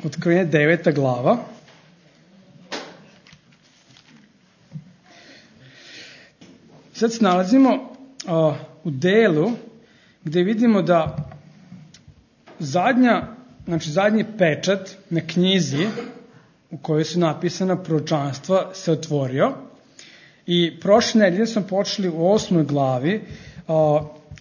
Otkrivenje 9. glava. Sad se nalazimo u delu gde vidimo da zadnji pečat na knjizi u kojoj su napisana proročanstva se otvorio i prošle nedelje smo počeli u 8. glavi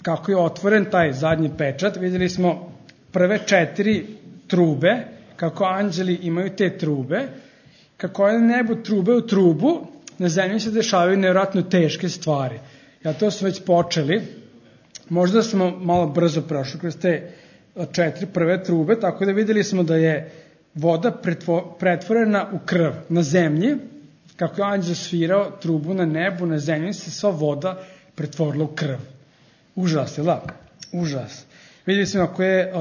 kako je otvoren taj zadnji pečat. Videli smo prve 4 trube, kako anđeli imaju te trube, kako je na nebu trube u trubu, na zemlji se dešavaju nevjerojatno teške stvari. Ja to smo već počeli, možda smo malo brzo prošli kroz te 4 prve trube, tako da videli smo da je voda pretvorena u krv na zemlji, kako je anđel svirao trubu na nebu, na zemlji se sva voda pretvorila u krv. Užas, je da? Užas. Videli smo kako je,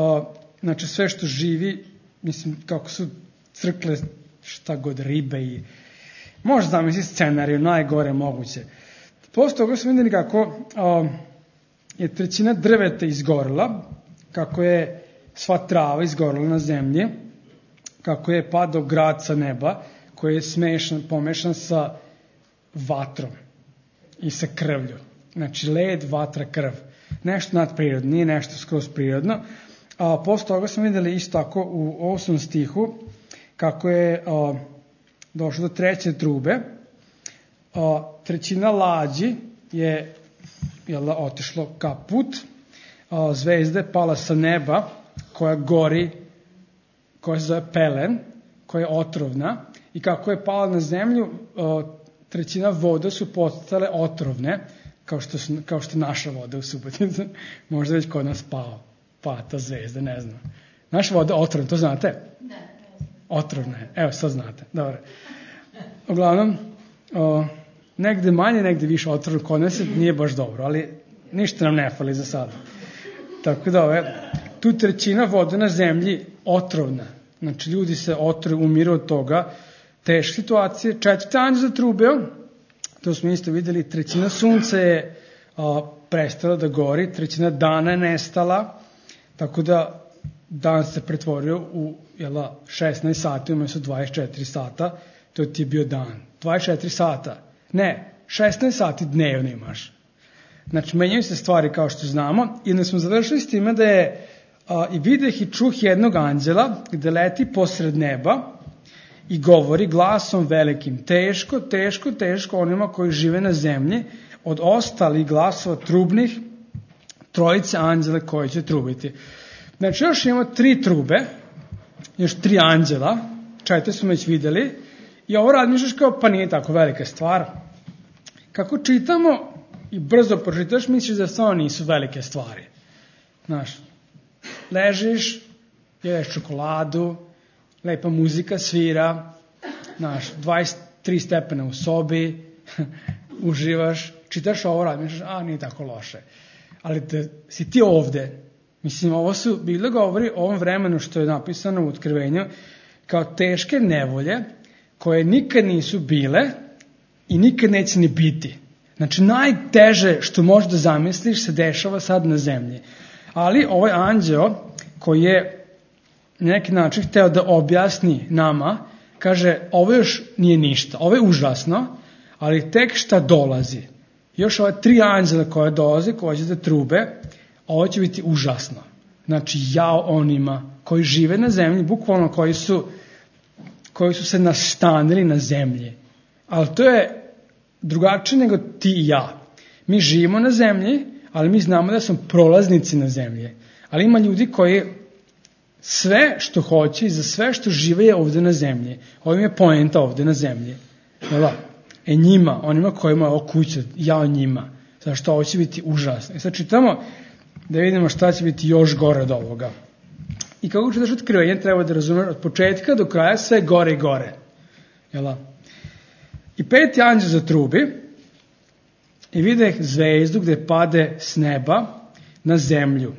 znači sve što živi, mislim kako su crkle šta god, ribe i možda zamisli scenariju, najgore moguće. Posle toga smo videli kako je 1/3 drveta izgorela, kako je sva trava izgorela na zemlji, kako je padao grad sa neba, koji je pomešan sa vatrom i sa krvlju. Znači led, vatra, krv. Nešto nadprirodno, nije nešto skroz prirodno. Posle toga smo videli isto tako u 8. stihu kako je došlo do 3. trube. 1/3 lađi je otišlo kaput. Zvezda je pala sa neba koja gori, koja se zove pelen, koja je otrovna. I kako je pala na zemlju, 1/3 voda su postale otrovne, kao što naša voda u Subotici. Možda već kod nas pa ta zvezda, ne znam. Naša voda otrovna, to znate? Da. Otrovna je, evo sad znate. Dobro. Uglavnom, negde manje, negde više otrovno kod nas nije baš dobro, ali ništa nam ne fali za sada. Tako da tu 1/3 voda na zemlji otrovna. Znači ljudi se umiru od toga. Teške situacije. 4. anđeo zatrubeo, to smo isto videli, 1/3 sunca je prestala da gori, 1/3 dana je nestala, tako da dan se pretvorio u 16 sati, umjesto 24 sata, to ti je bio dan. 24 sata, ne, 16 sati dnevno imaš. Znači, menjaju se stvari kao što znamo i onda smo završili s time da je i videh i čuh jednog anđela gde leti posred neba i govori glasom velikim, teško, teško, teško onima koji žive na zemlji, od ostalih glasova trubnih, 3 anđela koji će trubiti. Znači, još imamo 3 trube, još 3 anđela, 4 smo već videli, i ovo razmišljaš kao, pa nije tako velika stvar. Kako čitamo i brzo pročitaš, misliš da stvarno nisu velike stvari. Znaš, ležiš, jedeš čokoladu, lepa muzika svira, znaš, 23 stepena u sobi, uživaš, čitaš ovo, razmišljaš, nije tako loše. Ali da si ti ovde, mislim, ovo su, Biblija govori o ovom vremenu što je napisano u Otkrivenju, kao teške nevolje koje nikad nisu bile i nikad neće ni biti. Znači, najteže što možeš da zamisliš se dešava sad na zemlji. Ali ovaj anđeo koji je na neki način hteo da objasni nama, kaže, ovo još nije ništa, ovo je užasno, ali tek šta dolazi. Još ove 3 anđela koje dolaze, koje će da trube, ovo će biti užasno. Znači, jao onima koji žive na zemlji, bukvalno koji su se nastanili na zemlji. Ali to je drugačije nego ti i ja. Mi živimo na zemlji, ali mi znamo da smo prolaznici na zemlji. Ali ima ljudi koji sve što hoće i za sve što žive je ovde na zemlji. Ovim je poenta ovde na zemlji. Njima, onima kojima je ovo kuća, jao njima. Zašto ovo će biti užasno. I sad čitamo da vidimo šta će biti još gore od ovoga. I kako čitaš Otkrivenje, treba da razumeš od početka do kraja sve gore i gore. I 5. anđeo zatrubi i videh zvezdu gde pade s neba na zemlju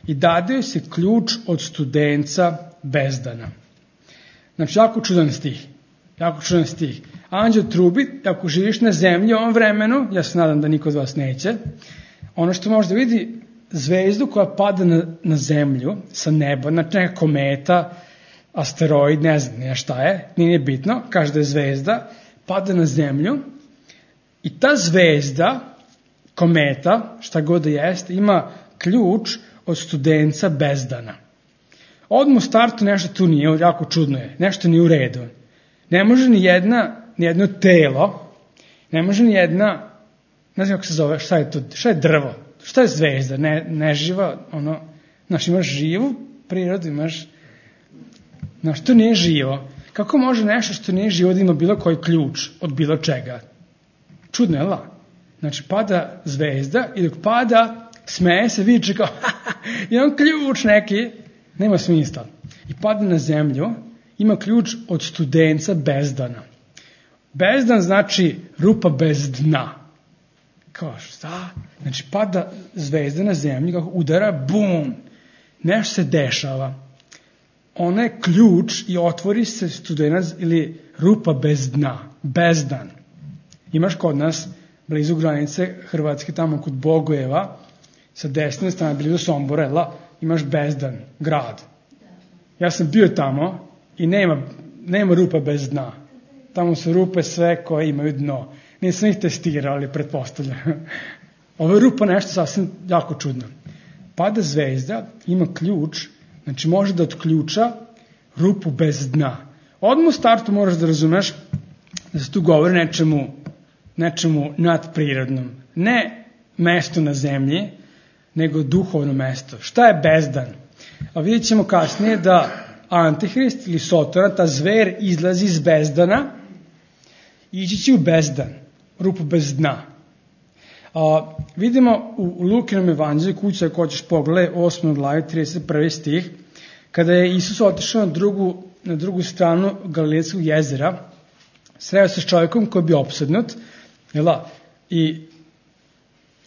i dade joj se ključ od studenca bezdana. Znači, jako čudan stih. Anđeo trubi, ako živiš na zemlji u ovom vremenu, ja se nadam da niko od vas neće, ono što možda vidi zvezdu koja pada na zemlju sa neba, znači neka kometa, asteroid, ne znam šta je, nije bitno, kaže da je zvezda, pada na zemlju i ta zvezda, kometa, šta god da jeste, ima ključ od Studenca Bezdana. Odmah u startu nešto tu nije, jako čudno je, nešto nije u redu. Ne može ni jedno telo, ne može ni jedna, ne znam kako se zove, šta je to, šta je drvo, šta je zvezda, neživa, znaš, imaš živu prirodu, imaš, znaš, to nije živo. Kako može nešto što nije živo da ima bilo koji ključ od bilo čega? Čudno je, la? Znači, pada zvezda i dok pada, smeje se, viče kao, imam ključ neki, nema smisla. I pada na zemlju, ima ključ od Studenca Bezdana. Bezdan znači rupa bez dna. Kao šta? Znači, pada zvezda na zemlju, kako udara, bum, nešto se dešava. Ona je ključ i otvori se Studenac ili rupa bez dna, Bezdan. Imaš kod nas, blizu granice Hrvatske, tamo kod Bogojeva, sa desne strane, blizu Sombora, imaš Bezdan, grad. Ja sam bio tamo i nema rupa bez dna. Tamo su rupe sve koje imaju dno. Nisam ih testirao, ali pretpostavljam. Ovo je rupa nešto sasvim jako čudno. Pada zvezda, ima ključ, znači može da otključa rupu bez dna. Odmah u startu moraš da razumeš da se tu govori nečemu nadprirodnom. Ne mesto na zemlji, nego duhovno mesto. Šta je Bezdan? A vidjet ćemo kasnije da Antihrist ili Sotora, ta zver, izlazi iz Bezdana i ići će u Bezdan, rupu bez dna. Vidimo u Lukinom evanđelju, kuća ako hoćeš pogledaj, 8. glavi, 31. stih, kada je Isus otišao na drugu stranu Galilejskog jezera, sreo se s čovjekom koji je bio opsednut, i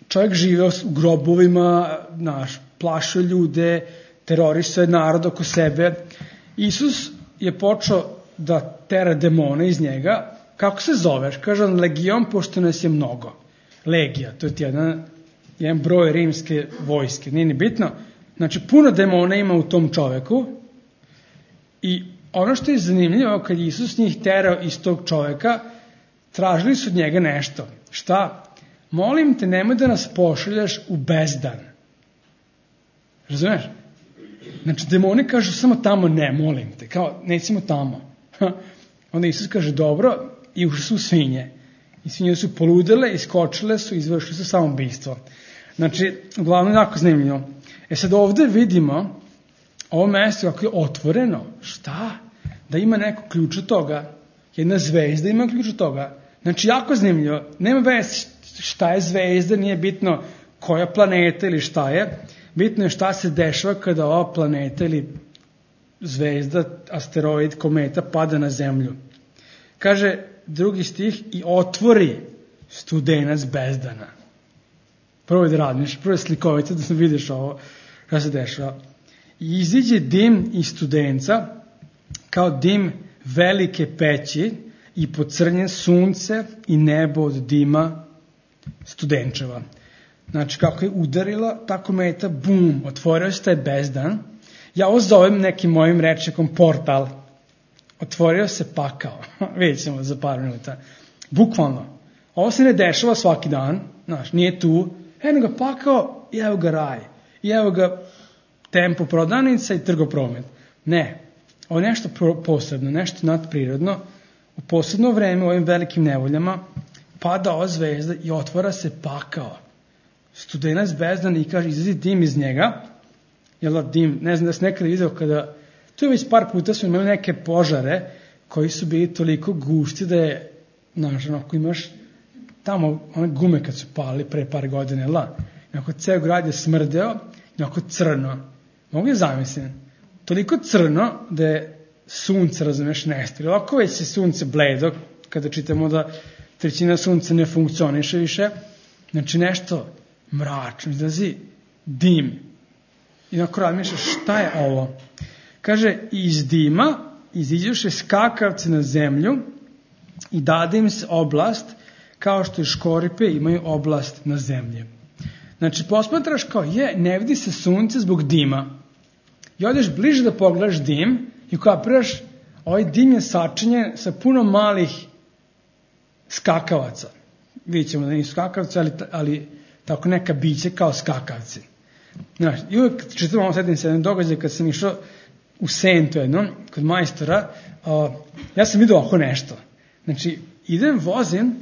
čovjek živeo u grobovima, plašio ljude, terorisao je narod oko sebe. Isus je počeo da tera demone iz njega. Kako se zoveš? Kaže on legion, pošto nas je mnogo. Legija, to je jedan broj rimske vojske, nije ni bitno. Znači, puno demona ima u tom čoveku i ono što je zanimljivo, kad je Isus njih terao iz tog čoveka, tražili su od njega nešto. Šta? Molim te, nemoj da nas pošaljaš u Bezdan. Razumeš? Znači, demoni kažu samo tamo ne, molim te, kao nećemo tamo. Onda Isus kaže dobro i ušli su u svinje. I svinje su poludele, iskočile su, izvršili su samoubistvo. Znači, uglavnom jako zanimljivo. Sad ovde vidimo ovo mesto kako je otvoreno. Šta? Da ima neko ključ od toga. Jedna zvezda ima ključ od toga. Znači, jako zanimljivo. Nema veze šta je zvezda, nije bitno koja planeta ili šta je. Bitno je šta se dešava kada ova planeta ili zvezda, asteroid, kometa pada na zemlju. Kaže drugi stih, i otvori Studenac Bezdana. Prvo da radiš, prvo je slikovito da vidiš ovo šta se dešava. I iziđe dim iz Studenca kao dim velike peći i pocrnje sunce i nebo od dima Studenčeva. Znači, kako je udarila ta kometa, bum, otvorio se taj Bezdan. Ja ovo zovem nekim mojim rečnikom portal. Otvorio se pakao. Vidjet ćemo za par minuta. Bukvalno. Ovo se ne dešava svaki dan. Znaš, nije tu. Eno ga pakao i evo ga raj. I evo ga tempo prodavnica i trgopromet. Ne. Ovo je nešto posebno, nešto nadprirodno. U posebno vreme, u ovim velikim nevoljama, pada ova zvezda i otvara se pakao. Studenac Bezdan i kaže, izlazi dim iz njega. Dim, ne znam da se nekada vidio kada, tu je već par puta smo imali neke požare koji su bili toliko gusti da je, znaš, ako imaš tamo one gume kad su pali pre par godine, onako ceo grad je smrdeo, onako crno. Mogu je zamislim. Toliko crno da je sunce, razumeš, nestalo. Ovako već je sunce bledo, kada čitamo da trećina sunca ne funkcioniše više. Znači nešto mračno, izlazi dim. I onako razmišljaš, šta je ovo? Kaže, iz dima iziđuše skakavce na zemlju i dade im se oblast, kao što i škoripe imaju oblast na zemlji. Znači, posmatraš kao, ne vidi se sunce zbog dima. I odeš bliže da pogledaš dim I kapiraš, ovaj dim je sačinjen sa puno malih skakavaca. Vidjet ćemo da nisu skakavci, ali tako neka biće kao skakavci. Znaš, i uvijek čitam ovo sedim se jedan događaj kad sam išao u Sentu jednom, kod majstora, ja sam vidio oko nešto. Znači, idem, vozim,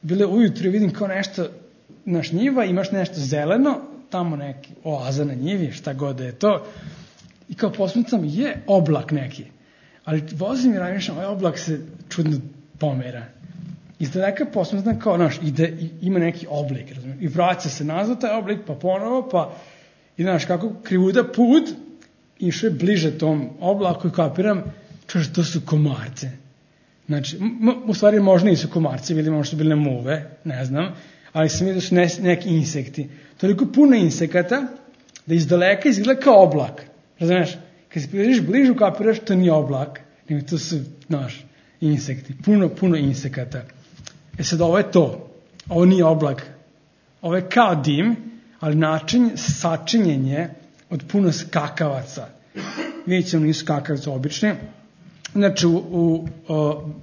bile ujutro i vidim kao nešto, naš njiva, imaš nešto zeleno, tamo neki oaza na njivi, šta god da je to, i kao posmetam, je oblak neki. Ali vozim i razmišljam, ovaj oblak se čudno pomera. Iz daleka posmetam kao, znaš, ima neki oblik, razumiješ, i vraća se nazad taj oblik, pa ponovo, pa, i znaš, kako krivuda put, išao je bliže tom oblaku i kapiram, čuš, to su komarce. Znači, u stvari možda nisu komarci, bili možda su bili muve, ne znam, ali sam vidio da su neki insekti. Toliko puno insekata da iz daleka izgleda kao oblak. Razumiješ? Kad se približiš bližu, kapiraš, to nije oblak, nego to su, znaš, insekti. Puno insekata. Sad, ovo je to. Ovo nije oblak. Ovo je kao dim, ali način sačinjenje od puno skakavaca. Vidjet ćemo, nisu skakavci obični. Znači,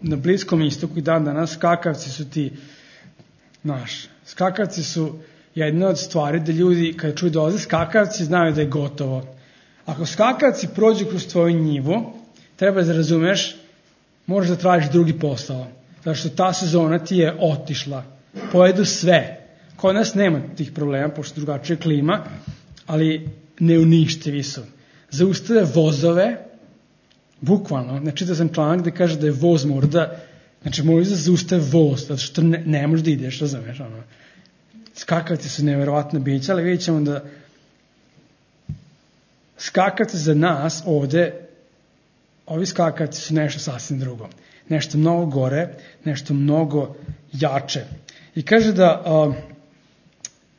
na Bliskom istoku i dan danas skakavci su ti, znaš, skakavci su jedna od stvari da ljudi, kada čuju dolaze skakavci, znaju da je gotovo. Ako skakavci prođu kroz tvoju njivu, treba da razumeš, možeš da tražiš drugi posao. Zato što ta sezona ti je otišla. Pojedu sve. Kod nas nema tih problema, pošto drugačija klima, ali neuništivi su. Zaustave vozove, bukvalno, znači da sam članak gde kaže da je voz možda, znači možda zaustave voz, zato što ne možeš da ideš, razumeš, ono. Skakavci su nevjerovatna bića, ali vidjet ćemo da skakavci za nas ovde, ovi skakavci su nešto sasvim drugo. Nešto mnogo gore, nešto mnogo jače. I kaže da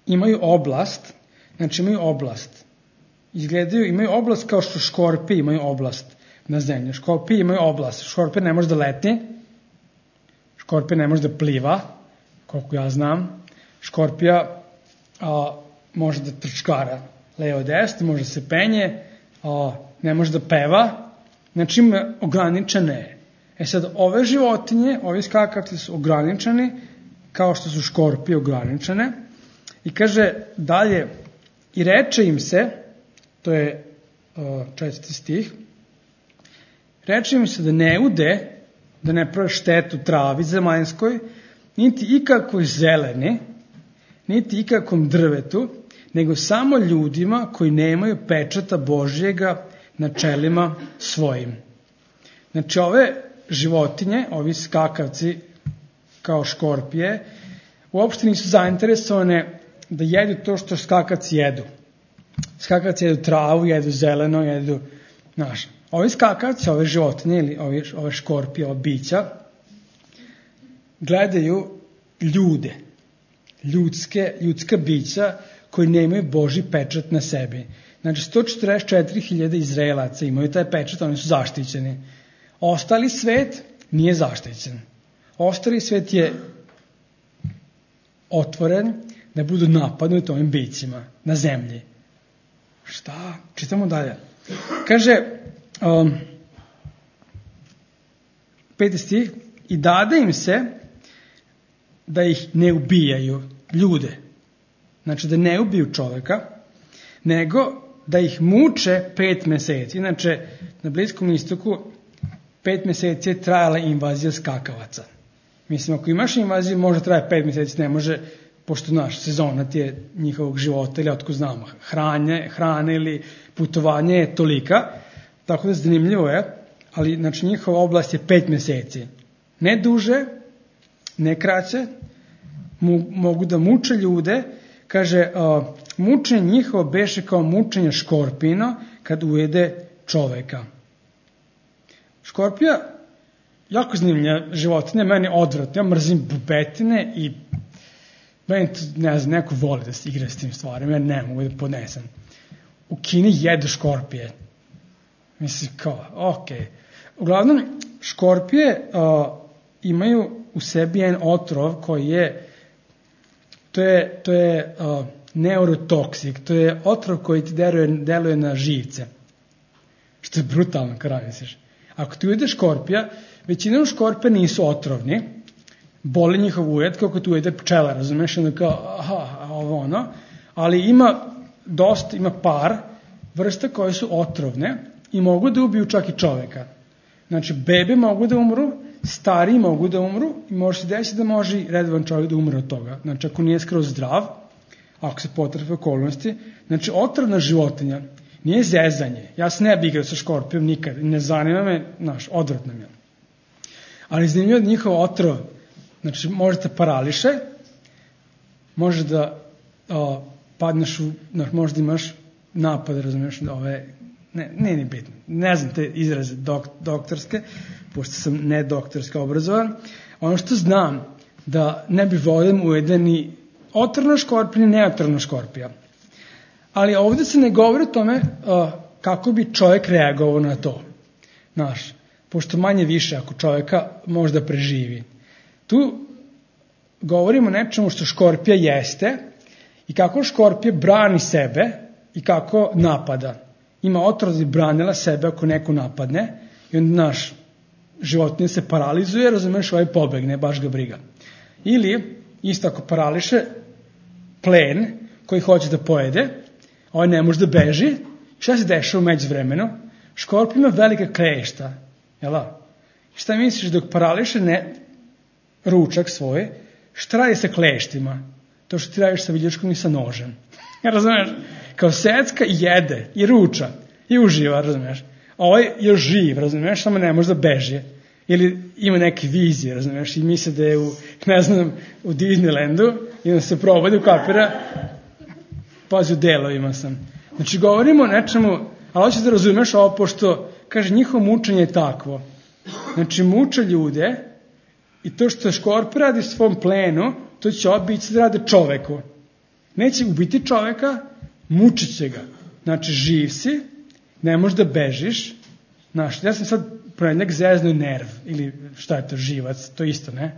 imaju oblast, znači imaju oblast. Izgledaju, imaju oblast kao što škorpije imaju oblast na zemlji. Škorpije imaju oblast. Škorpija ne može da letni, škorpija ne može da pliva, koliko ja znam. Škorpija može da trčkara levo desno, može da se penje, ne može da peva, znači ima ograničene. Sad, ove životinje, ovi skakavci su ograničeni, kao što su škorpije ograničene, i kaže dalje, i reče im se, to je 4. stih, reče im se da ne ude, da ne prave štetu travi zemaljskoj, niti ikakvoj zeleni, niti ikakvom drvetu, nego samo ljudima koji nemaju pečata Božjega na čelima svojim. Znači, ove životinje, ovi skakavci kao škorpije, uopšte nisu zainteresovane da jedu to što skakavci jedu. Skakavci jedu travu, jedu zeleno, jedu, znaš. Ovi skakavci, ove životinje ili ove škorpije, ove bića, gledaju ljude, ljudska bića koji nemaju Božji pečat na sebi. Znači, 144.000 Izraelaca imaju taj pečat, oni su zaštićeni. Ostali svet nije zaštićen. Ostali svet je otvoren da budu napadnuti ovim bićima na zemlji. Šta? Čitamo dalje. Kaže, 5. stih, i dade im se da ih ne ubijaju ljude. Znači, da ne ubiju čoveka, nego da ih muče 5 meseci. Inače, na Bliskom istoku 5 meseci je trajala invazija skakavaca. Mislim, ako imaš invaziju, može traje 5 meseci, ne može, pošto naš sezona ti je njihovog života, ili otko znamo, hrane ili putovanje je tolika, tako da zanimljivo je, ali znači njihova oblast je 5 meseci. Ne duže, ne kraće, mogu da muče ljude, kaže, mučenje njihovo beše kao mučenje škorpina kad ujede čoveka. Škorpija, jako zanimljiva životinja, meni odvratno, ja mrzim bubetine i meni, ne znam, neko voli da se igra s tim stvarima, ja ne mogu da podnesem. U Kini jedu škorpije. Mislim, kao, okej. Uglavnom, škorpije imaju u sebi jedan otrov koji je, to je neurotoksik, to je otrov koji ti deluje na živce. Što je brutalno, kada misliš. Ako ti ujede škorpija, većinom škorpija nisu otrovni, boli njihov ujed kako ti ujede pčela, razumeš, onda kao, ovo ono, ali ima par vrsta koje su otrovne i mogu da ubiju čak i čoveka. Znači, bebe mogu da umru, stariji mogu da umru i može se desiti da može i redovan čovjek da umre od toga. Znači, ako nije skroz zdrav, ako se potrefe okolnosti, znači, otrovna životinja nije zezanje. Ja se ne bih igrao sa škorpijom nikad, ne zanima me, odvratno mi je. Ali zanimljivo da njihov otrov, znači, možete parališe, može da padneš možda imaš napad, razumiješ, ne bitno, ne znam te izraze doktorske, pošto sam ne doktorski obrazovan. Ono što znam, da ne bi volio ujede ni otrovna škorpija, ni neotrovna škorpija. Ali ovdje se ne govori o tome kako bi čovjek reagovao na to. Pošto manje više ako čovjeka možda preživi. Tu govorimo o nečemu što škorpija jeste i kako škorpija brani sebe i kako napada. Ima otrov da branila sebe ako neko napadne i onda životinja se paralizuje, razumeš, pobegne, baš ga briga. Ili, isto ako parališe, plen koji hoće da pojede, ne može da beži, šta se dešava u međuvremenu? Škorpija ima velika klešta, jel'a? Šta misliš dok parališe ručak svoj, šta radi sa kleštima? To što ti radiš sa viljuškom i sa nožem. Razumeš? Kao secka i jede, i ruča, i uživa, razumeš? A je živ, razumeš, samo ne može da beži. Ili ima neke vizije, razumeš, i misle da je u Disneylandu i onda se probudi u kapira, pazi, u delovima sam. Znači, govorimo o nečemu, ali hoćeš da razumeš ovo, pošto, kaže, njihovo mučenje je takvo. Znači, muče ljude i to što škorpija radi svom plenu, to će obići da rade čoveku. Neće ubiti čoveka, mučit će ga. Znači, živ si, ne možeš da bežiš. Ja sam sad ponedjeljak zeznuo nerv, ili šta je to, živac, to isto, ne?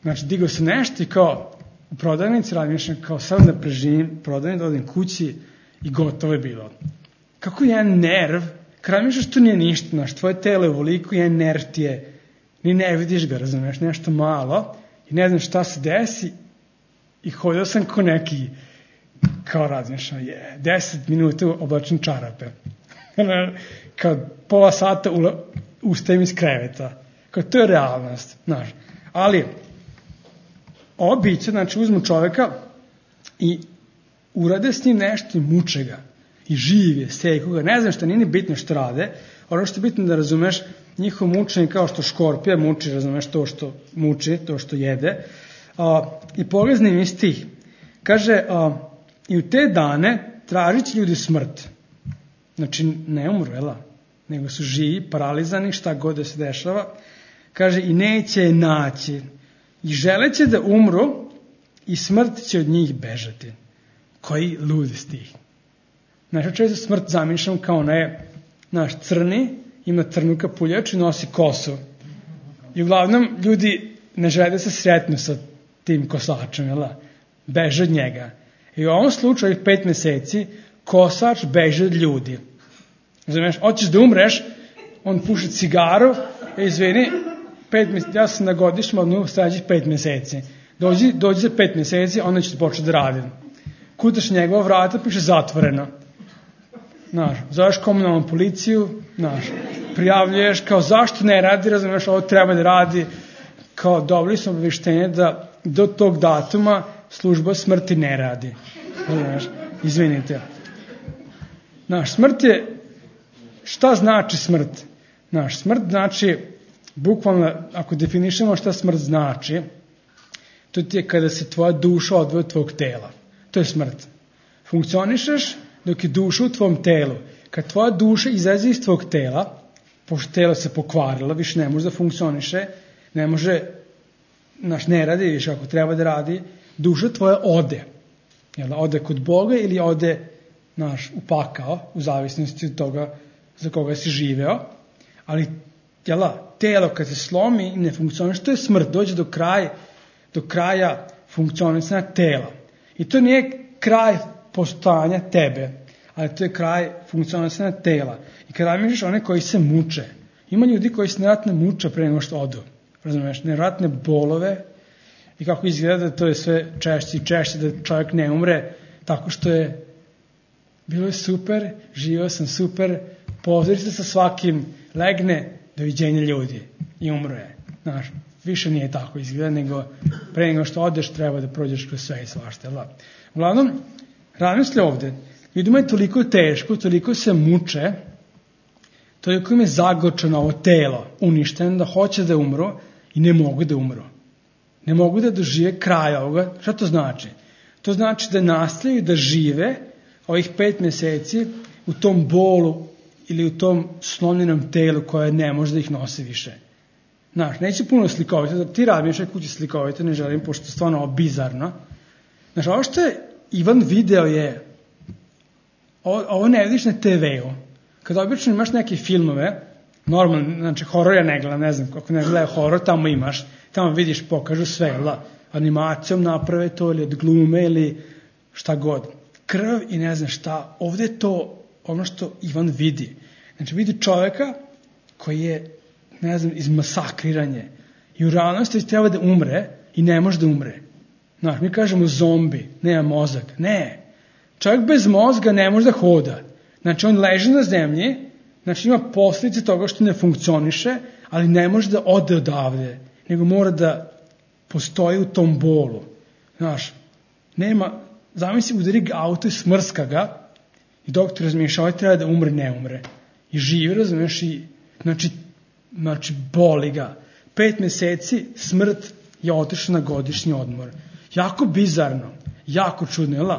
Znači, digao se nešto i kao u prodavnici radim kao samo da preživim prodavnicu, da odim kući i gotovo je bilo. Kako jedan nerv, kada mi što nije ništa, tvoje telo je ovoliko, jedan nerv ti je, ni ne vidiš ga, razumiješ, nešto malo i ne znam šta se desi i hodio sam ko neki, kao razmišljam, 10 minuta oblačim čarape. Kao pola sata ustajem iz kreveta. Kao to je realnost, znaš. Ali, ovo biće, znači, uzmu čoveka i urade s njim nešto i muče ga. I žive, seku ga. Ne znam šta, nije ni bitno što rade. Ono što je bitno da razumeš, njihovo mučenje kao što škorpija muči, razumeš, to što muči, to što jede. I poglezni mi stih. Kaže, i u te dane tražit će ljudi smrt. Znači, ne umru, nego su živi, paralizani, šta god da se dešava. Kaže, i neće je naći. I želeće da umru i smrt će od njih bežati. Koji ludi stih. Znači, često smrt zamišljam kao naš crni, ima crnu kapuljaču i nosi kosu. I uglavnom, ljudi ne žele da se sretnu sa tim kosačem, beže od njega. I u ovom slučaju, 5 meseci, kosač beže od ljudi. Razumiješ, hoćeš da umreš, on puši cigaru, izvini, ja sam na godišnjem odnovu sledećih 5 meseci. Dođi za 5 meseci, onda ću početi da radim. Kutaš njegova vrata, piše zatvoreno. Zoveš komunalnu policiju, prijavljuješ, kao zašto ne radi, razumiješ, ovo treba da radi, kao dobili smo obaveštenje da do tog datuma služba smrti ne radi. Razumiješ, izvinite. Smrt je, šta znači smrt? Smrt znači, bukvalno, ako definišemo šta smrt znači, to ti je kada se tvoja duša odvoji od tvojeg tela. To je smrt. Funkcionišeš dok je duša u tvom telu. Kad tvoja duša izađe iz tvojeg tela, pošto telo se pokvarilo, više ne može da funkcioniše, ne može, ne radi više ako treba da radi, duša tvoja ode. Ode kod Boga ili ode u pakao, u zavisnosti od toga za koga si živeo, ali telo kad se slomi i ne funkcioniše, to je smrt, dođe do kraja funkcionisanja tela. I to nije kraj postojanja tebe, ali to je kraj funkcionalna tela. I kada razmišljaš one koji se muče, ima ljudi koji se nevratno muče pre nego što odu. Razumeš, nevratne bolove i kako izgleda da to je sve češće i češće, da čovjek ne umre tako što je bilo je super, živio sam super, pozdravi se sa svakim, legne, doviđenja ljudi i umro je. Znaš, više nije tako izgleda, nego pre nego što odeš treba da prođeš kroz sve i svašta. Uglavnom, razmisli ovde, ljudima je toliko teško, toliko se muče, toliko im je zagorčano ovo telo, uništeno, da hoće da umru i ne mogu da umru. Ne mogu da dožive kraj ovoga. Šta to znači? To znači da nastavljaju da žive ovih 5 meseci u tom bolu ili u tom slomljenom telu koje ne može da ih nosi više. Znaš, neće puno slikovite, da ti razmišljaj kući slikovite, ne želim, pošto je stvarno ovo bizarno. Znaš, ovo što je Ivan video je, ovo ne vidiš na TV-u. Kada obično imaš neke filmove, normalno, znači horor ja ne gledam, ne znam, kako ne gledaju horor, tamo imaš, tamo vidiš, pokažu sve, animacijom naprave to, ili od glume, ili šta god. Krv i ne znam šta, ovde je to ono što Ivan vidi. Znači vidi čoveka koji je, ne znam, izmasakriranje i u realnosti treba da umre i ne može da umre. Znaš, mi kažemo zombi, nema mozak. Ne, čovjek bez mozga ne može da hoda. Znači on leži na zemlji, znači ima posljedice toga što ne funkcioniše, ali ne može da ode odavde, nego mora da postoji u tom bolu. Znaš, nema, zamisli udari ga auto i smrska ga i doktor razmišlja, ovaj treba da umre, ne umre. I živi, razumiješ, i znači boli ga. 5 meseci smrt je otišla na godišnji odmor. Jako bizarno, jako čudno, jel?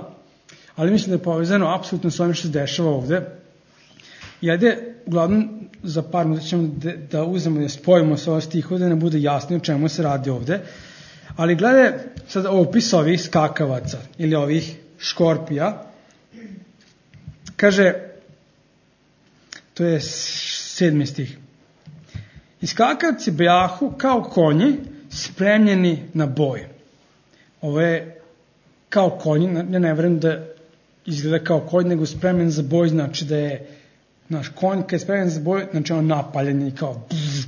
Ali mislim da je povezano apsolutno s ovim što se dešava ovde. I ajde, uglavnom, za par minuta ćemo da uzmemo, da spojimo sa ovo stihu, da ne bude jasno o čemu se radi ovde. Ali gledaj sad opis ovih skakavaca ili ovih škorpija. Kaže, to je 7. stih. I skakavci bejahu kao konji spremljeni na boj. Ovo je kao konji, ja ne verujem da izgleda kao konj, nego spremljen za boj, znači da je naš konj kad je spremljen za boj, znači on napaljen i kao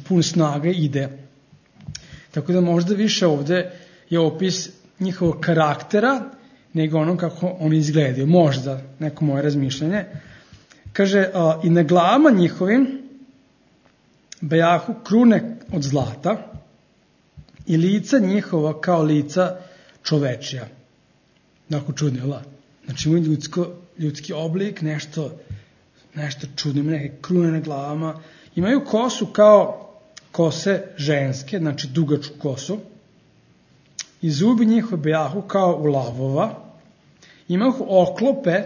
pun snage ide. Tako da možda više ovde je opis njihovog karaktera nego ono kako oni izgledaju. Možda, neko moje razmišljanje. Kaže, i na glavama njihovim bejahu krune od zlata i lica njihova kao lica čovečija. Dakle, čudno, jel? Znači, imaju ljudski oblik, nešto čudno, imaju neke krune na glavama. Imaju kosu kao kose ženske, znači dugačku kosu. I zubi njihove bejahu kao u lavova. Imaju oklope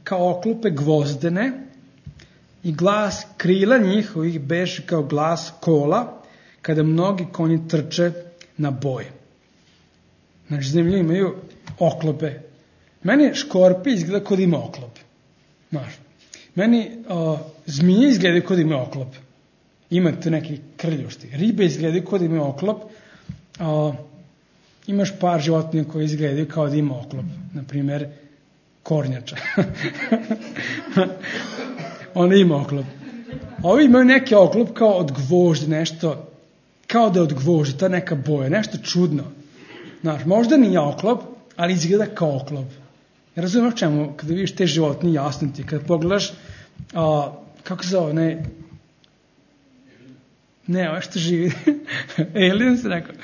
kao oklope gvozdene i glas krila njihovih beše kao glas kola kada mnogi konji trče na boj. Znači, zemlje imaju oklope. Meni škorpi izgleda kod ima oklop. Znaš, meni zmije izgledaju kod ima oklop. Imate neki krljušti. Ribe izgledaju kod ima oklop. Imaš par životinja koje izgledaju kao da ima oklop. Naprimer, kornjača. Ona ima oklop. Ovi imaju neki oklop kao od gvožđa, nešto, kao da je od gvožđa, ta neka boja, nešto čudno. Znaš, možda nije oklop, ali izgleda kao oklop. Ja razumijem čemu, kada vidiš te životinje, jasno ti, kada pogledaš, kako se zove, ne, ovo što živi, alien se rekao,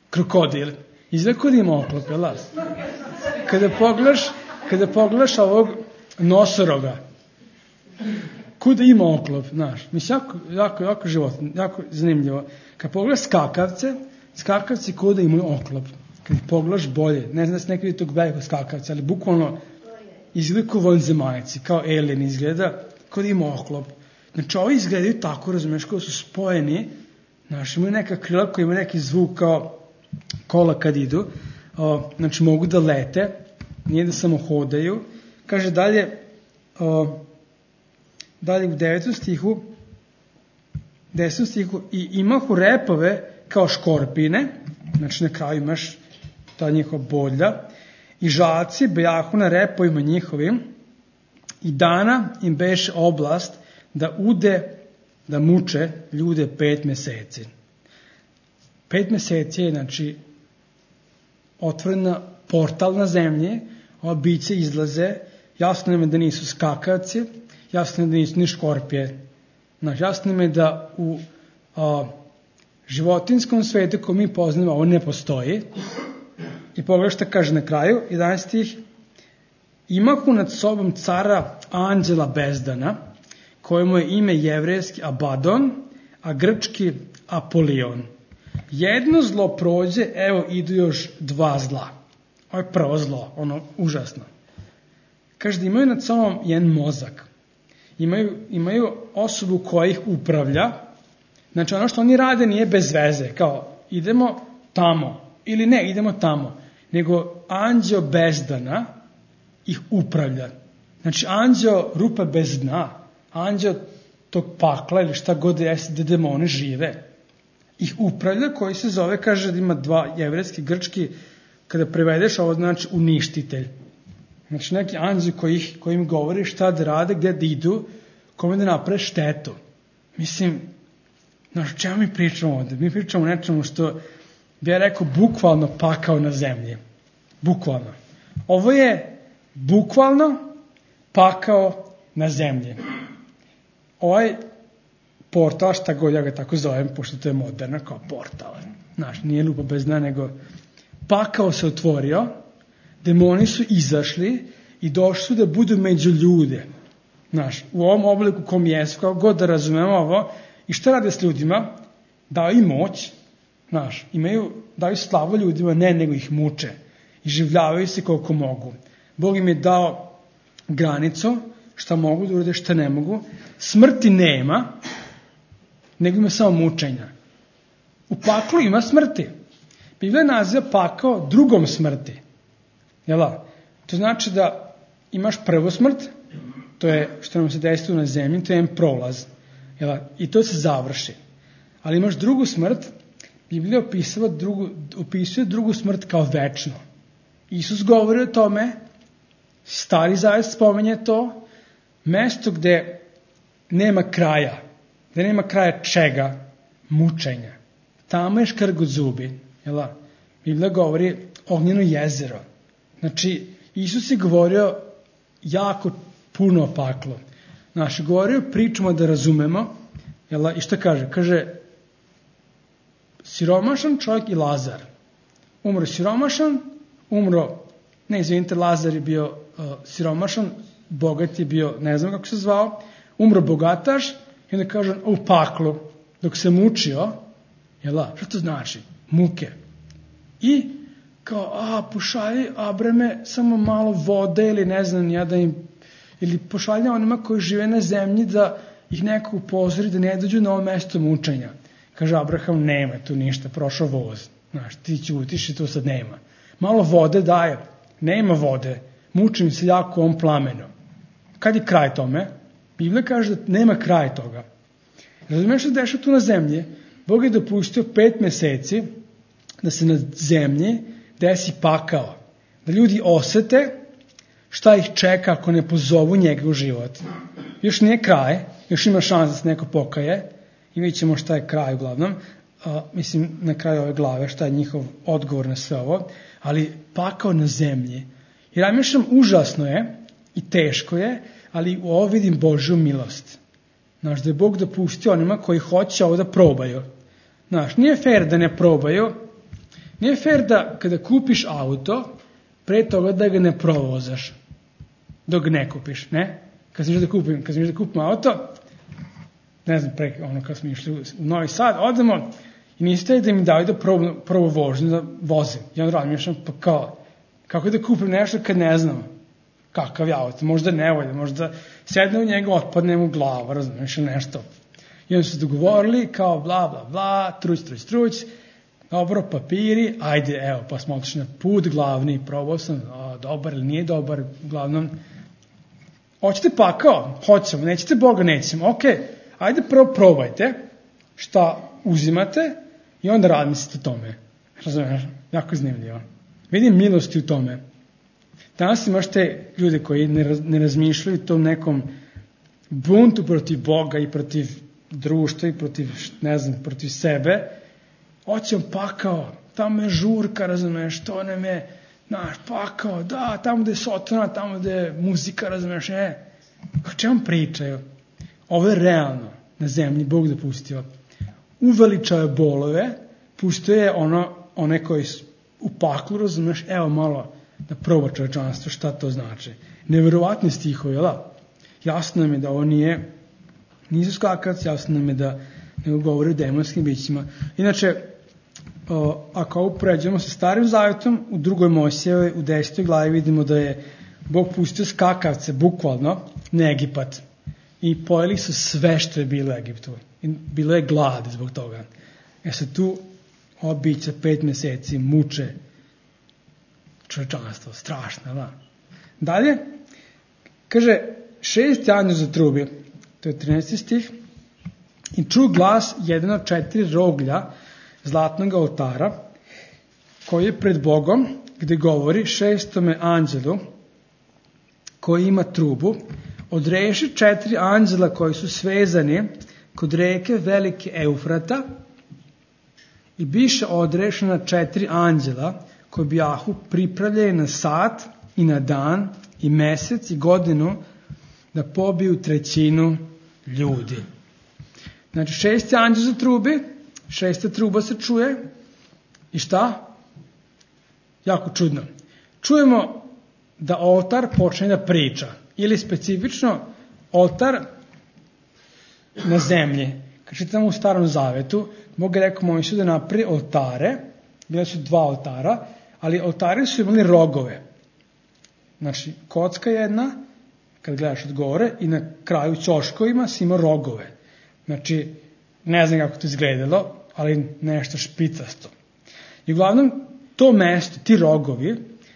krokodil, izgleda kod ima oklop, jel? Kada pogledaš ovog nosoroga, kuda ima oklop, znaš, mislim, jako životinje, jako zanimljivo. Kad pogledaš skakavci kuda imaju oklop. Kad ih pogledaš bolje, ne znam da se nekada vidi tog velikog skakavca, ali bukvalno izgleda kao vanzemaljci, kao alien izgleda, kao da ima oklop. Znači, ovi izgledaju tako, razumiješ, kao su spojeni, znaš, imaju neka krila koja ima neki zvuk kao kola kad idu, znači, mogu da lete, nije da samo hodaju. Kaže dalje u 10. stihu, i imahu repove kao škorpine, znači na kraju imaš ta njihova bodlja, i žaci bejahu na repovima njihovim, I dana im beše oblast da muče ljude 5 meseci. 5 meseci je, znači, otvorena portal na zemlji, ova bića izlaze, jasno nam je da nisu skakavci, jasno nam je da nisu ni škorpije. Znači, jasno nam je da u životinskom svetu koji mi poznamo ovo ne postoji. I pogledaj šta kaže na kraju, 11 stih. Imahu nad sobom cara anđela bezdana, kojemu je ime jevrejski Abadon, a grčki Apolion. Jedno zlo prođe, evo idu još 2 zla. Ovo je prvo zlo, ono užasno. Kaže da imaju nad sobom jedan mozak. Imaju osobu koja ih upravlja. Znači ono što oni rade nije bez veze. Kao idemo tamo ili ne idemo tamo. Nego anđeo bezdana ih upravlja. Znači anđeo rupe bez dna. Anđeo tog pakla ili šta god jeste gde demoni žive. Ih upravlja koji se zove, kaže da ima 2 jevrejski, grčki, kada prevedeš ovo znači uništitelj. Znači neki anđeo koji im govori šta da rade, gde da idu, kome da naprave štetu. Mislim, znači čemu mi pričamo ovde? Mi pričamo o nečemu što bi ja rekao bukvalno pakao na zemlji. Bukvalno. Ovo je bukvalno pakao na zemlji. Ovaj portal, šta god ja ga tako zovem, pošto to je moderno, kao portal. Znaš, nije lupa bez dna, nego pakao se otvorio, demoni su izašli i došli su da budu među ljude. Znaš, u ovom obliku kom jesu, kao god da razumemo ovo, i šta rade s ljudima? Daju im moć, znaš, daju slavu ljudima, ne, nego ih muče. I življavaju se koliko mogu. Bog im je dao granicu, šta mogu da urade, šta ne mogu. Smrti nema, nego ima samo mučenja. U paklu ima smrti. Biblija naziva pakao drugom smrti. Jela? To znači da imaš prvu smrt, to je što nam se desilo na zemlji, to je jedan prolaz. Jela? I to se završi. Ali imaš drugu smrt, Biblija opisuje drugu smrt kao večno. Isus govori o tome, Stari Zavet spominje to, mesto gde nema kraja. Gde nema kraja čega? Mučenja. Tamo je škrgut zubi. Jela? Biblija govori ognjeno jezero. Znači, Isus je govorio jako puno o paklu. Znači, govorio pričamo da razumemo. Jela? I šta kaže? Kaže, siromašan čovjek i Lazar. Umro siromašan, Lazar je bio siromašan, bogat je bio, ne znam kako se zvao, umro bogataš i onda kaže u paklu, dok se mučio, jela, što to znači? Muke. I kao, pošalji Abrame samo malo vode ili ne znam ja da im, ili pošalji onima koji žive na zemlji da ih neko upozori da ne dođu na ovo mesto mučenja. Kaže Abraham, nema tu ništa, prošao voz. Znaš, ti ćutiš i to sad nema. Malo vode daje, nema vode, mučim se jako ovom plamenu. Kad je kraj tome? Biblija kaže da nema kraj toga. Razumiješ što se dešava tu na zemlji? Bog je dopustio 5 meseci da se na zemlji desi pakao. Da ljudi osete šta ih čeka ako ne pozovu njega u život. Još nije kraj, još ima šans da se neko pokaje i vidjet ćemo šta je kraj uglavnom. Mislim, na kraju ove glave šta je njihov odgovor na sve ovo. Ali pakao na zemlji. I razmišljam, užasno je i teško je, ali u ovo vidim Božju milost. Znaš, da je Bog dopustio onima koji hoće ovo da probaju. Znaš, nije fair da ne probaju, nije fair da kada kupiš auto, pre toga da ga ne provozaš, dok ne kupiš, ne? Kad sam išao da kupim auto, ne znam, kad smo išli u Novi Sad, odemo i niste da mi daju da probu vožnju, da vozim. I onda razmišljam, pa kao, kako da kupim nešto kad ne znam kakav je auto, možda ne volje, možda sedne u njega, otpadne mu glava, razumiješ, ili nešto. I onda su se dogovorili, kao bla, bla, bla, truć, dobro, papiri, ajde, evo, pa smo otišli na put glavni, probao sam, dobar ili nije dobar, uglavnom, hoćete pakao? Hoćemo, nećete Boga, nećemo, okej, ajde prvo probajte šta uzimate i onda razmislite o tome. Razumiješ, jako zanimljivo. Vidim milosti u tome. Danas imaš te ljude koji ne razmišljaju tom nekom buntu protiv Boga i protiv društva i protiv, ne znam, protiv sebe. Hoćem pakao, tamo je žurka, razumeš, to nam je naš pakao, da, tamo gde je sotona, tamo gde je muzika, razumeš, o čemu pričaju? Ovo je realno na zemlji, Bog dopustio. Uveličao je bolove, pustio je one koji u paklu, razumeš, evo malo da proba čovečanstvo, šta to znači. Neverovatni stihovi, da? Jasno nam je da ovo nisu skakac, jasno nam je da ne govori o demonskim bićima. Inače, ako ovo pređemo sa Starim Zavetom, u 2. Mojsijevoj, u 10. glavi vidimo da je Bog pustio skakavce, bukvalno, na Egipat. I pojeli su sve što je bilo u Egiptu. I bilo je glad zbog toga. Sad tu ova bića 5 meseci muče čovečanstvo, strašno, da. Dalje, kaže, 6 anđeo zatrubi, to je 13. stih, i ču glas jedan od 4 roglja zlatnog oltara, koji je pred Bogom, gde govori 6. anđelu, koji ima trubu, odreši 4 anđela koji su svezani kod reke velike Eufrata i biše odrešena 4 anđela koji bijahu pripravljeni na sat i na dan i mesec i godinu da pobiju 1/3 ljudi. Znači 6. anđel za trubi, 6. truba se čuje i šta? Jako čudno. Čujemo da oltar počne da priča ili specifično oltar na zemlji. Kad čitamo u Starom Zavetu, Bog je rekao Mojsiju da napravi oltare, bile su 2 oltara, ali oltari su imali rogove. Znači, kocka jedna, kad gledaš od gore, i na kraju ćoškovima si imao rogove. Znači, ne znam kako to izgledalo, ali nešto špicasto. I uglavnom, to mesto, ti rogovi,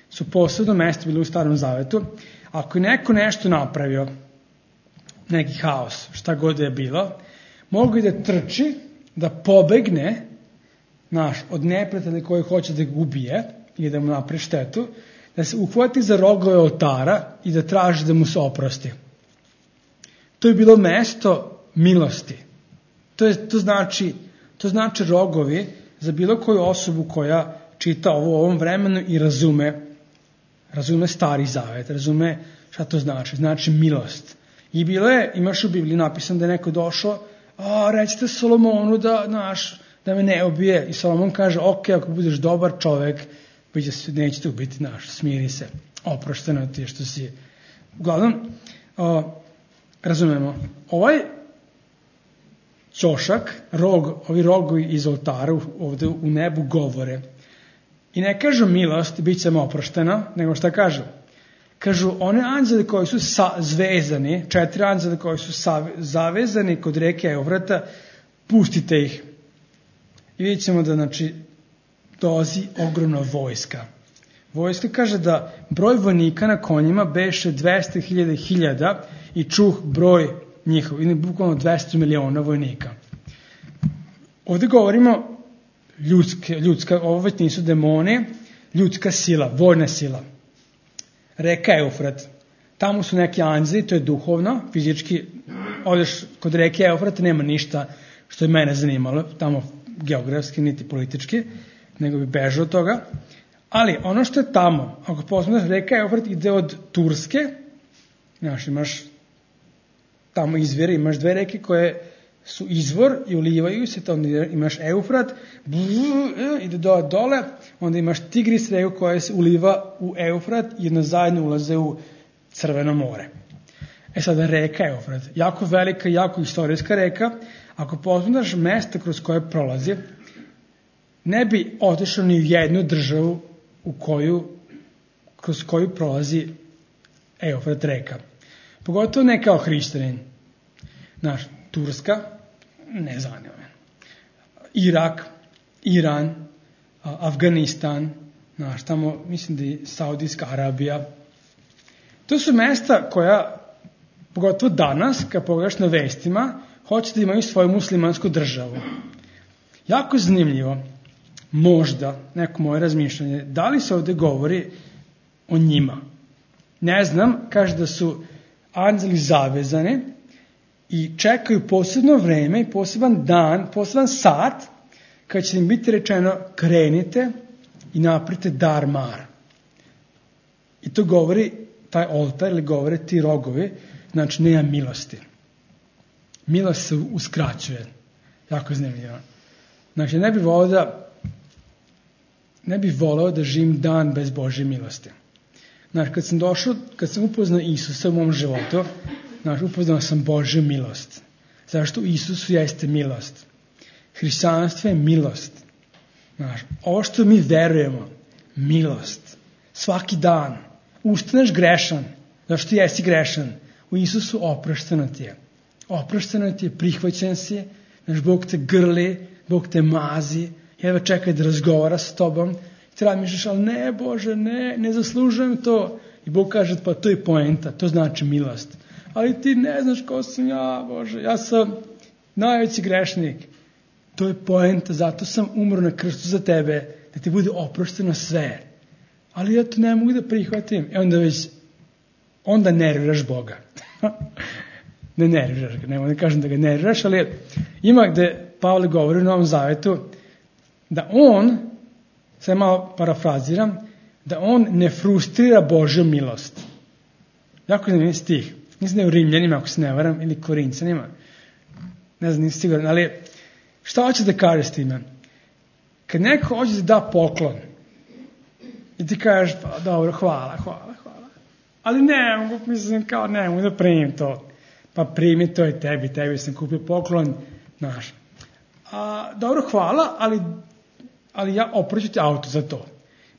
su posebno mesto bili u Starom Zavetu. Ako je neko nešto napravio, neki haos, šta god je bilo, mogu i da trči, da pobegne od neprijatelja koji hoće da ga ubije ili da mu napravi štetu, da se uhvati za rogove oltara i da traži da mu se oprosti. To je bilo mesto milosti. To znači rogovi za bilo koju osobu koja čita ovo u ovom vremenu i razume Stari Zavet, razume šta to znači. Znači milost. I bilo je, imaš u Bibliji napisano da je neko došao, recite Solomonu da me ne ubije. I Solomon kaže, ok, ako budeš dobar čovek, neće te ubiti, smiri se, oprošteno ti što si. Uglavnom, razumemo, ovaj ćošak, ovi rogovi iz oltara ovde u nebu govore. I ne kažu milost, bit ćemo oprošteno, nego šta kažu? Kažu, one anđele koji su zvezani, 4 anđele koji su zavezani kod reke Eufrata, pustite ih. I vidjet ćemo da, dolazi ogromna vojska. Vojska kaže da broj vojnika na konjima beše 200.000 i čuh broj njihov, ili bukvalno 200 miliona vojnika. Ovdje govorimo ljudska, ovo već nisu demoni, ljudska sila, vojna sila. Reka Eufrat. Tamo su neki anđeli, to je duhovno, fizički, odeš kod reke Eufrat, nema ništa što je mene zanimalo, tamo geografski, niti politički, nego bi bežao od toga. Ali ono što je tamo, ako posmatraš, reka Eufrat ide od Turske, imaš tamo izvire, imaš 2 reke koje su izvor i ulivaju se, onda imaš Eufrat, ide dole, onda imaš Tigris reku koja se uliva u Eufrat i jedno zajedno ulaze u Crveno more. Sada reka Eufrat, jako velika, jako istorijska reka, ako posmatraš mesta kroz koje prolazi, ne bi otišao ni u jednu državu kroz koju prolazi Eufrat reka. Pogotovo ne kao hrišćanin. Turska, ne zanima me. Irak, Iran, Afganistan, tamo mislim da je Saudijska Arabija. To su mesta koja, pogotovo danas, kad pogledaš na vestima, hoće da imaju svoju muslimansku državu. Jako zanimljivo, možda, neko moje razmišljanje, da li se ovdje govori o njima? Ne znam, kaže da su anđeli zavezani i čekaju posebno vreme i poseban dan, poseban sat, kad će im biti rečeno krenite i napravite dar mar. I to govori taj oltar ili govore ti rogovi, znači nema milosti. Milost se uskraćuje. Jako zanimljivo. Znači ne bih voleo da živim dan bez Božje milosti. Znači kad sam upoznao Isusa u mom životu, znači upoznao sam Božju milost. Zašto u Isusu jeste milost? Hrišćanstvo je milost. Znači, ovo što mi verujemo, milost. Svaki dan. Ustaneš grešan. Zašto jesi grešan? U Isusu oprošteno ti je. Oprošteno ti je, prihvaćen si. Znači, Bog te grli, Bog te mazi. Jedva čekaj da razgovara s tobom. I treba misliš, ali ne Bože, ne zaslužujem to. I Bog kaže, pa to je poenta, to znači milost. Ali ti ne znaš ko sam ja, Bože. Ja sam najveći grešnik. To je poenta, zato sam umro na krstu za tebe, da ti bude oprošteno sve. Ali ja to ne mogu da prihvatim. Onda nerviraš Boga. Ne nerviraš ga, ne mogu da kažem da ga nerviraš, ali ima gde Pavle govori u Novom Zavetu da on, sad malo parafraziram, da on ne frustrira Božju milost. Jako zanimljiv stih. Mislim da je u Rimljanima, ako se ne varam, ili Korincanima. Ne znam, nisam siguran, ali šta hoće da kaže s time? Kad neko hoće da da poklon i ti kažeš, pa dobro, hvala. Ali ne mogu, mislim, kao ne mogu da primim to. Pa primi to i tebi sam kupio poklon, znaš. Dobro, hvala, ali ja opraću ti auto za to.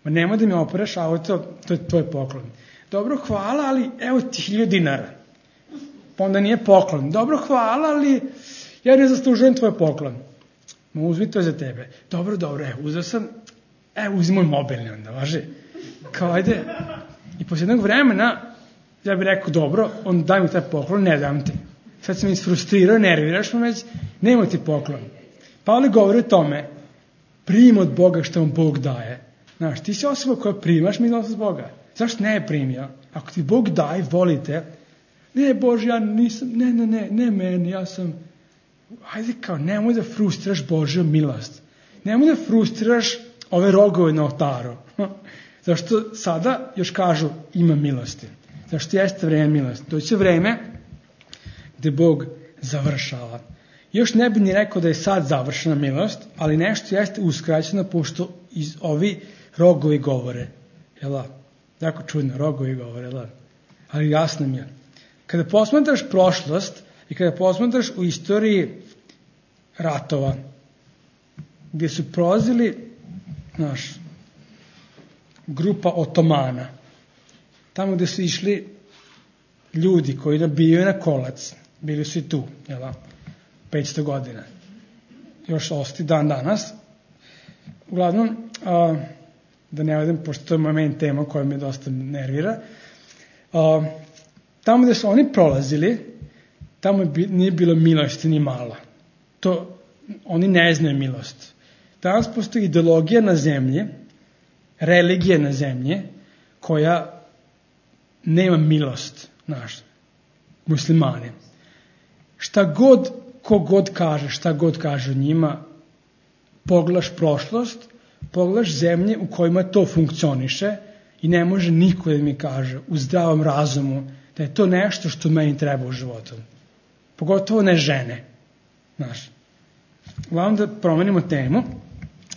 Ma nemoj da mi operaš auto, to je tvoj poklon. Dobro, hvala, ali evo ti 1000 dinara. Pa onda nije poklon. Dobro, hvala, ali ja ne zaslužujem tvoj poklon. Ma uzmi to za tebe. Dobro, uzeo sam, uzmi moj mobilni onda, važi. Kao, ajde. I posle jednog vremena, ja bih rekao, dobro, on daj mi taj poklon, ne dam ti. Sad sam isfrustrirao, nerviraš me već, nemoj ti poklon. Pavle govori o tome, prim od Boga što vam Bog daje. Znaš, ti si osoba koja primaš milost od Boga. Zašto ne je primio? Ako ti Bog daje, volite, ne Bože, ja nisam, ne meni, ja sam, ajde kao, nemoj da frustriraš Božju milost. Nemoj da frustriraš ove rogove na oltaru. Zašto sada još kažu ima milosti. Zašto jeste vreme milosti. To će vreme gde Bog završava. Još ne bi ni rekao da je sad završena milost, ali nešto jeste uskraćeno pošto iz ovi rogovi govore. Jel' jako čudno, rogovi govore, jel' ali jasno mi je. Kada posmatraš prošlost i kada posmatraš u istoriji ratova, gdje su prolazili, grupa Otomana, tamo gdje su išli ljudi koji nabijaju na kolac, bili su i tu, 500 godina. Još osti dan danas. Uglavnom, da ne odem, pošto to je moment tema koja me dosta nervira, tamo gdje su oni prolazili, tamo nije bilo milosti ni malo. Oni ne znaju milost. Danas postoji ideologija na zemlji, religija na zemlji, koja nema milost, muslimani. Ko god kaže o njima, pogledaš prošlost, pogledaš zemlje u kojima to funkcioniše i ne može niko da mi kaže u zdravom razumu da je to nešto što meni treba u životu. Pogotovo ne žene. Uglavnom da promenimo temu,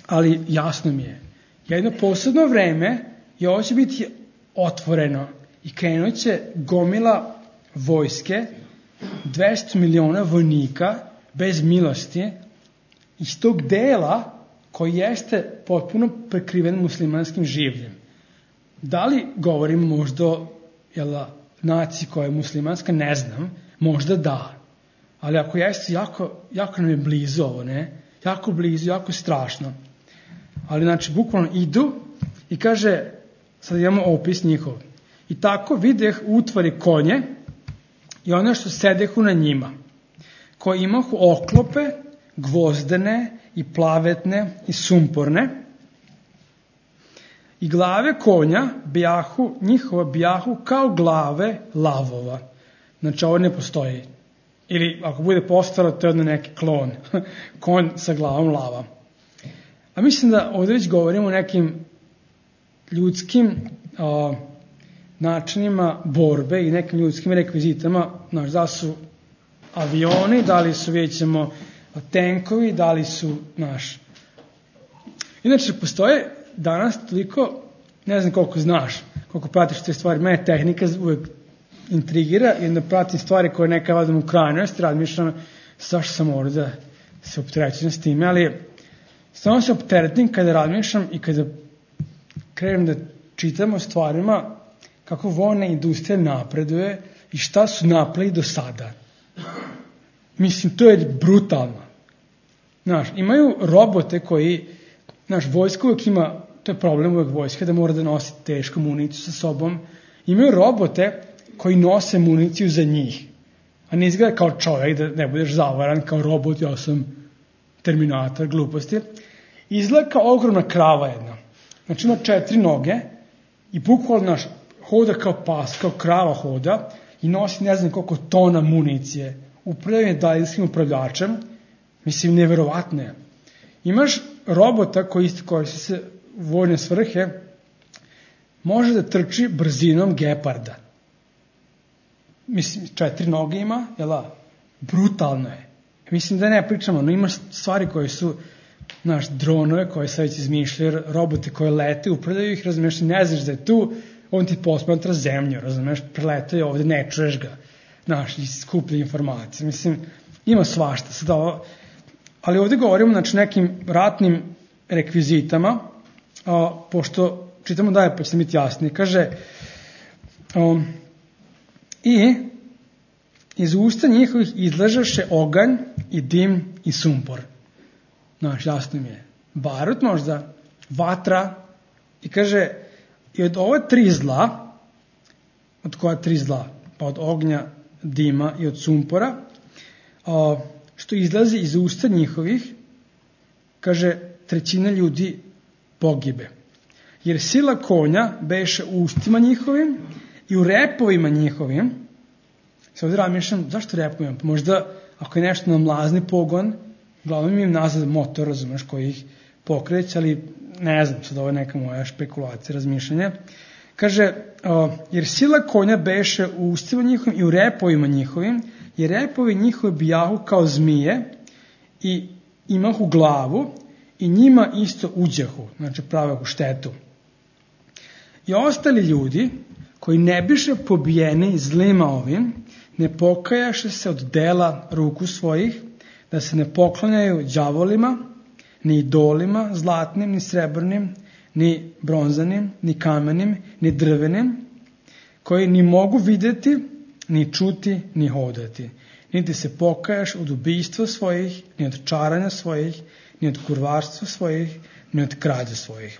ali jasno mi je. Jedno posebno vreme i ovo će biti otvoreno i krenut će gomila vojske, 200 miliona vojnika bez milosti iz tog dela koji jeste potpuno prekriven muslimanskim življem. Da li govorim možda o naciji koja je muslimanska, ne znam, možda da. Ali ako jeste, jako nam je blizu ovo, ne? Jako blizu, jako strašno. Ali bukvalno idu i kaže, sad imamo opis njihov. I tako videh u utvari konje i ono što sedehu na njima, koji imahu oklope, gvozdene i plavetne i sumporne i glave konja bijahu, njihova bijahu kao glave lavova. Znači ovo ne postoji. Ili ako bude postalo, to je odno neki klon. Konj sa glavom lava. A mislim da ovdje već govorimo o nekim ljudskim načinima borbe i nekim ljudskim rekvizitama. Znaš, da su avioni, da li su, vidjet ćemo, tenkovi, da li su, znaš. Inače, postoje danas toliko, ne znam koliko znaš, koliko pratiš te stvari, mene tehnika uvijek intrigira i onda pratim stvari koje neka vadim u krajnosti, razmišljam zašto sam ovdje da se opterećujem s time, ali stvarno se opteretim kada razmišljam i kada krenem da čitam o stvarima kako vojna industrija napreduje i šta su napravili do sada. Mislim, to je brutalno. Znaš, imaju robote koji, znaš, vojska uvijek ima, to je problem uvijek vojska, da mora da nosi tešku municiju sa sobom. Imaju robote koji nose municiju za njih. A ne izgleda kao čovjek, da ne budeš zavaran kao robot, ja sam Terminator, gluposti. Izgleda kao ogromna krava jedna. Znači ima 4 noge i bukvalno naš hoda kao pas, kao krava hoda i nosi ne znam koliko tona municije. Upravljanje daljinskim upravljačem, mislim, neverovatno je. Imaš robota koji se u vojne svrhe može da trči brzinom geparda. Mislim, 4 noge ima, jel'a? Brutalno je. Mislim da ne pričamo, no imaš stvari koje su, znaš, dronove koje se već izmišljaju, robote koje lete, upravljaju ih, razumiješ, ne znaš da je tu, on ti posmatra zemlju, razumiješ, preletaju ovdje, ne čuješ ga, znaš, i skuplja informacije. Mislim, ima svašta. Sad ovo, ali ovdje govorimo, znači, nekim ratnim rekvizitama, pošto čitamo dalje, pa će se biti jasnije. Kaže, i iz usta njihovih izlažaše oganj i dim i sumpor. Znaš, jasno mi je. Barut možda, vatra, i kaže, i od ova 3 zla, od koja 3 zla? Pa od ognja, dima i od sumpora, što izlazi iz usta njihovih, kaže, 1/3 ljudi pogibe. Jer sila konja beše u ustima njihovim i u repovima njihovim. Sad ovdje razmišljam, zašto repovima? Pa možda, ako je nešto na mlazni pogon, uglavnom im nazad motor, razumeš, koji ih pokreće, ali ne znam, sad ovo je neka moja špekulacija, razmišljanja. Kaže, jer sila konja beše u ustima njihovim i u repovima njihovim, jer repovi njihovi bijahu kao zmije i imahu glavu i njima isto uđahu, znači pravehu štetu. I ostali ljudi koji ne biše pobijeni zlima ovim, ne pokajaše se od dela ruku svojih, da se ne poklanjaju đavolima, ni idolima, zlatnim, ni srebrnim, ni bronzanim, ni kamenim, ni drvenim, koji ni mogu vidjeti, ni čuti, ni hodati. Niti se pokajaš od ubijstva svojih, ni od čaranja svojih, ni od kurvarstva svojih, ni od krađa svojih.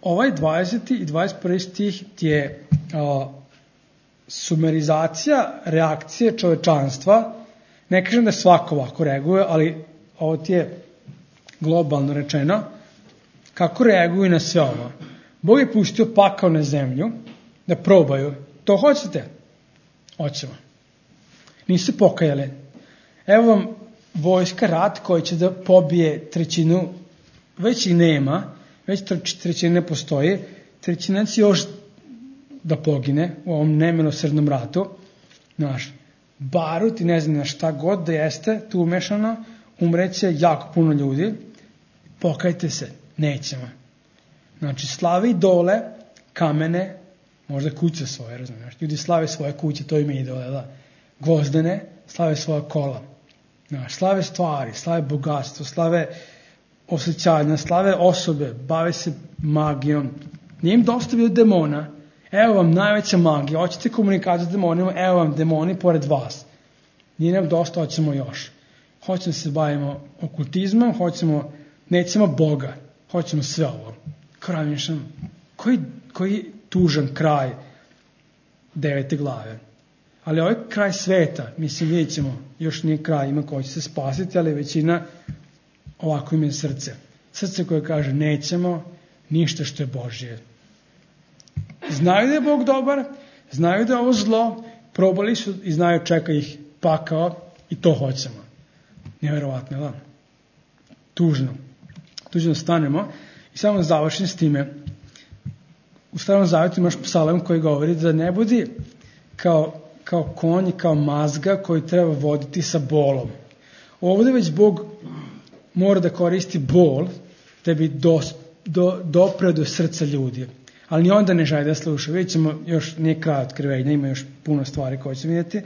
Ovaj 20. i 21. stih ti je sumerizacija reakcije čovečanstva. Ne kažem da svako ovako reaguje, ali ovo ti je globalno rečeno. Kako reaguju na sve ovo? Bog je pustio pakao na zemlju da probaju. To hoćete? Hoćemo. Nisu pokajali. Evo vam vojska rat koji će da pobije 1/3, već i nema, već 1/3 ne postoji, 1/3 će još da pogine u ovom nemilosrdnom ratu. Znaš, barut i ne znam na šta god da jeste tu umešano, umreće jako puno ljudi. Pokajte se, nećemo. Znači, slave idole, kamene, možda kuće svoje, razumiješ. Ljudi slave svoje kuće, to im je idole, da. Gvozdene, slave svoja kola. Znaš, slave stvari, slave bogatstvo, slave osjećanja, slave osobe, bave se magijom. Nije im dosta bilo demona. Evo vam najveća magija, hoćete komunikaciju s demonima, evo vam demoni pored vas. Nije nam dosta, hoćemo još. Hoćemo se bavimo okultizmom, nećemo Boga, hoćemo sve ovo. Krajmišljam, koji tužan kraj 9. glave. Ali ovaj kraj sveta, mislim, vidjet ćemo, još nije kraj, ima ko će se spasiti, ali većina ovako im je srce. Srce koje kaže nećemo, ništa što je Božje. Znaju da je Bog dobar, znaju da je ovo zlo, probali su i znaju čeka ih pakao i to hoćemo. Nevjerovatno, da? Tužno stanemo i samo da završim s time. U Starom Zavjetu imaš psalam koji govori da ne budi kao konj i kao mazga koji treba voditi sa bolom. Ovdje već Bog mora da koristi bol da bi dopreo do srca ljudi. Ali ni onda ne želi da sluša. Vidjet ćemo, još nije kraj otkrivenja, ima još puno stvari koje ćemo vidjeti.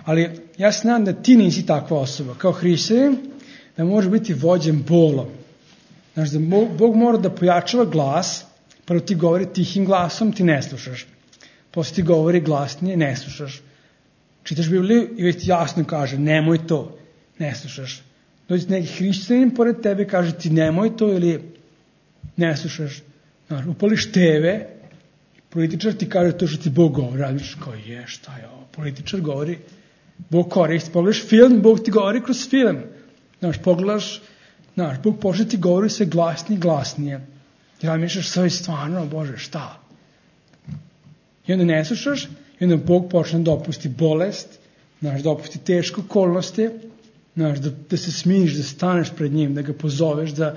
Ali ja se nadam da ti nisi takva osoba. Kao hrišćanin, da možeš biti vođen bolom. Znači da Bog mora da pojačava glas, prvo ti govori tihim glasom, ti ne slušaš. Poslije ti govori glasnije, ne slušaš. Čitaš Bibliju i već ti jasno kaže, nemoj to, ne slušaš. Dođe neki hrišćanin pored tebe i kaže ti nemoj to ili ne slušaš. Znači, upališ TV, političar ti kaže to što ti Bog govori, radiš kao šta je ovo, političar govori, Bog koristi, pogledaš film, Bog ti govori kroz film. Znači, pogledaš, Bog počne ti govori sve glasnije. I da misliš sve stvarno, Bože, šta? I onda ne slušaš, i onda Bog počne da dopusti bolest, da dopusti teške okolnosti, da se smiješ, da staneš pred njim, da ga pozoveš, da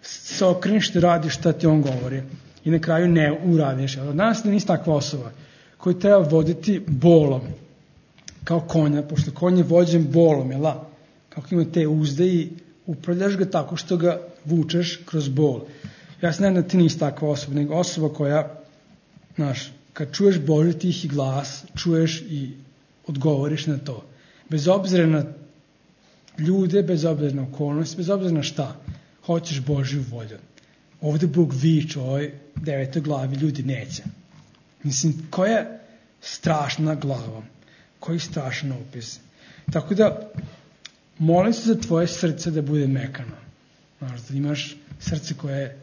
se okreniš da radiš šta ti on govori. I na kraju ne uradiš. Od nas da nisi takva osoba koju treba voditi bolom, kao konja, pošto konj je vođen bolom, jel da? Kako ima te uzde i upravljaš ga tako što ga vučeš kroz bol. Ja se nadam da ti nisi takva osoba, nego osoba koja, kad čuješ Božji tihi glas, čuješ i odgovoriš na to. Bez obzira na ljude, bez obzira na okolnosti, bez obzira na šta, hoćeš Božju volju. Ovdje Bog viče u ovoj 9. glavi, ljudi neće. Mislim, koja strašna glava, koji strašan opis. Tako da, molim se za tvoje srce da bude mekano. Da imaš srce koje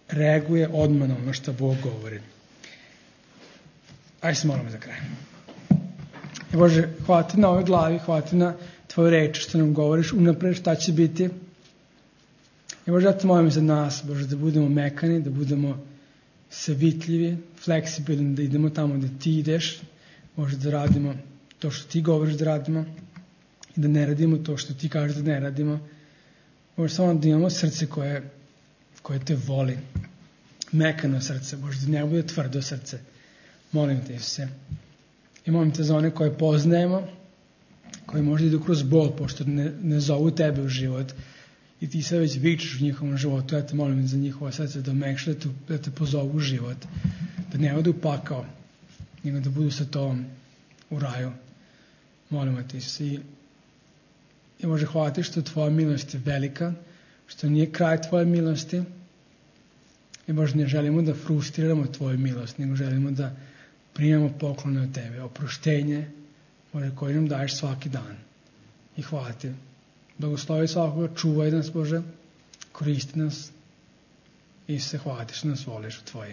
reaguje odmah na ono što Bog govori. Ajde se molimo za kraj. Bože, hvala ti na ovoj glavi, hvala ti na tvoju reč što nam govoriš unapred šta će biti. I Bože, ja te molim za nas, Bože, da budemo mekani, da budemo savitljivi, fleksibilni, da idemo tamo da ti ideš, Bože, da radimo to što ti govoriš da radimo i da ne radimo to što ti kažeš da ne radimo. Bože, samo da imamo srce koje te voli, mekano srce, Bože, da ne bude tvrdo srce. Molim te, Isuse. I molim te za one koje poznajemo, koji možda idu kroz bol, pošto ne zovu tebe u život i ti se već vičeš u njihovom životu. Ja te molim za njihovo srce da omekša, da te pozovu u život, da ne odu pakao, nego da budu sa tobom u raju. Molimo te, Isuse. I Bože, hvala ti što tvoja milost je velika, što nije kraj tvoje milosti. I Bože, ne želimo da frustriramo tvoju milost, nego želimo da primamo poklone od tebe, oproštenje, Bože, koje nam daješ svaki dan. I hvala ti. Blagoslovi svakoga, čuvaj nas, Bože, koristi nas i se hvala ti što nas voliš u tvoje.